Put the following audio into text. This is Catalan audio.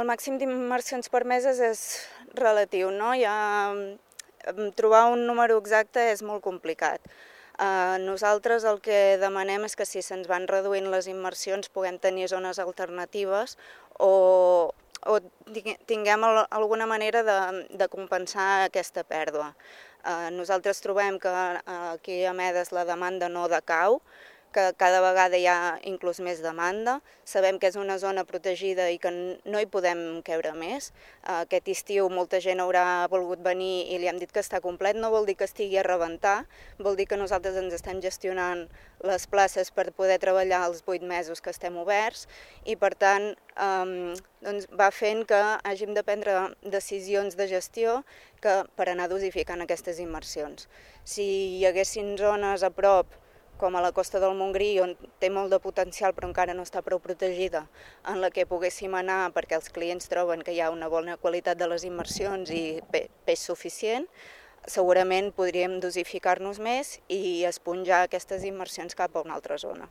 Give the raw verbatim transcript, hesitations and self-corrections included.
el màxim d'immersions permeses és relatiu, no? Ja, trobar un número exacte és molt complicat. Uh, nosaltres el que demanem és que si se'ns van reduint les immersions puguem tenir zones alternatives o, o tinguem al, alguna manera de, de compensar aquesta pèrdua. Uh, nosaltres trobem que uh, aquí a Medes la demanda no decau, que cada vegada hi ha inclús més demanda. Sabem que és una zona protegida i que no hi podem queure més. Aquest estiu molta gent haurà volgut venir i li hem dit que està complet. No vol dir que estigui a rebentar, vol dir que nosaltres ens estem gestionant les places per poder treballar els vuit mesos que estem oberts i per tant eh, doncs va fent que hàgim de prendre decisions de gestió que, per anar dosificant aquestes immersions. Si hi haguessin zones a prop com a la costa del Montgrí, on té molt de potencial però encara no està prou protegida, en la que poguéssim anar perquè els clients troben que hi ha una bona qualitat de les immersions i peix suficient, segurament podríem dosificar-nos més i esponjar aquestes immersions cap a una altra zona.